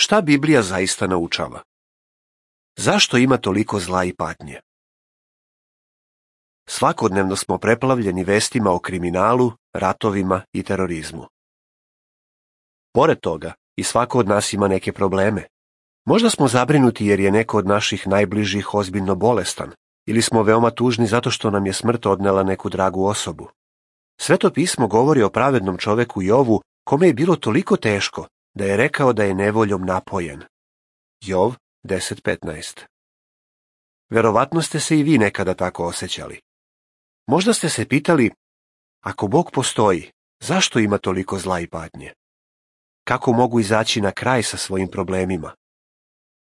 Šta Biblija zaista naučava? Zašto ima toliko zla i patnje? Svakodnevno smo preplavljeni vestima o kriminalu, ratovima i terorizmu. Pored toga, i svako od nas ima neke probleme. Možda smo zabrinuti jer je neko od naših najbližih ozbiljno bolestan, ili smo veoma tužni zato što nam je smrt odnela neku dragu osobu. Sveto pismo govori o pravednom čoveku Jovu, kome je bilo toliko teško da je rekao da je nevoljom napojen. Jov 10:15. Verovatno ste se i vi nekada tako osjećali. Možda ste se pitali, ako Bog postoji, zašto ima toliko zla i patnje? Kako mogu izaći na kraj sa svojim problemima?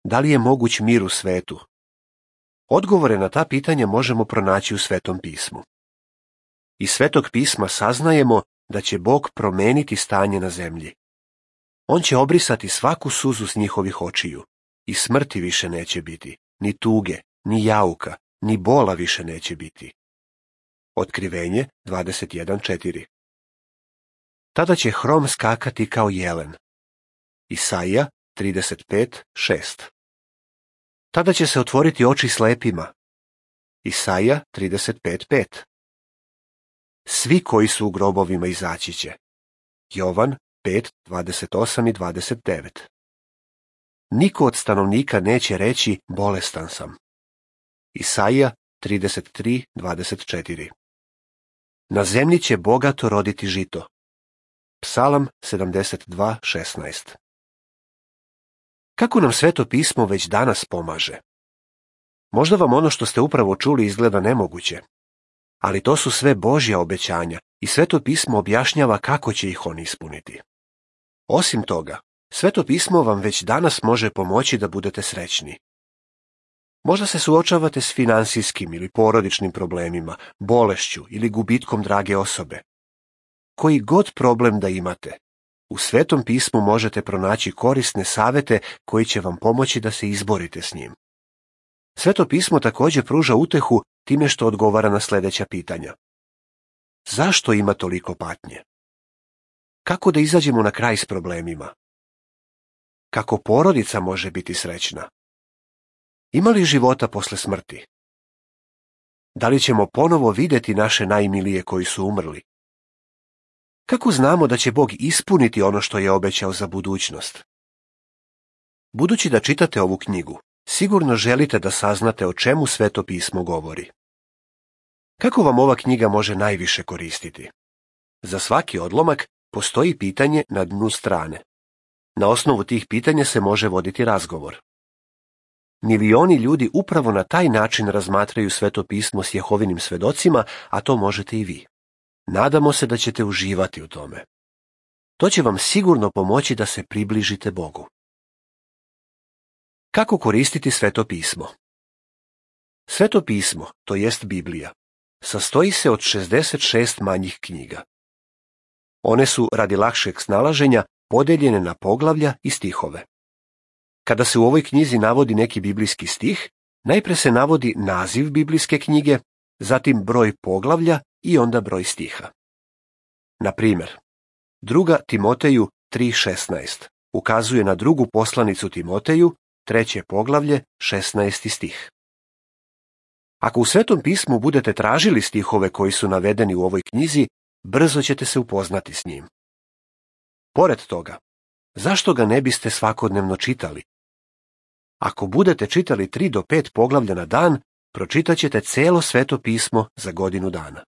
Da li je moguć mir u svetu? Odgovore na ta pitanja možemo pronaći u Svetom pismu. Iz Svetog pisma saznajemo da će Bog promeniti stanje na zemlji. On će obrisati svaku suzu s njihovih očiju i smrti više neće biti, ni tuge, ni jauka, ni bola više neće biti. Otkrivenje 21:4. Tada će hrom skakati kao jelen. Isaija 35:6. Tada će se otvoriti oči slepima. Isaija 35:5. Svi koji su u grobovima izaći će. Jovan 5:28 i 29. Niko od stanovnika neće reći bolestan sam. Isaija 33:24. Na zemlji će bogato roditi žito. Psalam 72:16. Kako nam Sveto pismo već danas pomaže? Možda vam ono što ste upravo čuli izgleda nemoguće, ali to su sve Božja obećanja i Sveto pismo objašnjava kako će ih on ispuniti. Osim toga, Sveto pismo vam već danas može pomoći da budete srećni. Možda se suočavate s finansijskim ili porodičnim problemima, bolešću ili gubitkom drage osobe. Koji god problem da imate, u Svetom pismu možete pronaći korisne savete koji će vam pomoći da se izborite s njim. Sveto pismo također pruža utehu time što odgovara na sljedeća pitanja. Zašto ima toliko patnje? Kako da izađemo na kraj s problemima? Kako porodica može biti srećna? Ima li života posle smrti? Da li ćemo ponovo vidjeti naše najmilije koji su umrli? Kako znamo da će Bog ispuniti ono što je obećao za budućnost? Budući da čitate ovu knjigu, sigurno želite da saznate o čemu Sveto pismo govori. Kako vam ova knjiga može najviše koristiti? Za svaki odlomak postoji pitanje na dnu strane. Na osnovu tih pitanja se može voditi razgovor. Milioni ljudi upravo na taj način razmatraju Sveto pismo s Jehovinim svedocima, a to možete i vi. Nadamo se da ćete uživati u tome. To će vam sigurno pomoći da se približite Bogu. Kako koristiti Sveto pismo? Sveto pismo, to jest Biblija, sastoji se od 66 manjih knjiga. One su, radi lakšeg snalaženja, podeljene na poglavlja i stihove. Kada se u ovoj knjizi navodi neki biblijski stih, najpre se navodi naziv biblijske knjige, zatim broj poglavlja i onda broj stiha. Na primjer, 2. Timoteju 3:16 ukazuje na drugu poslanicu Timoteju, 3. poglavlje, 16. stih. Ako u Svetom pismu budete tražili stihove koji su navedeni u ovoj knjizi, brzo ćete se upoznati s njim. Pored toga, zašto ga ne biste svakodnevno čitali? Ako budete čitali 3 do 5 poglavlja na dan, pročitat ćete celo Sveto pismo za godinu dana.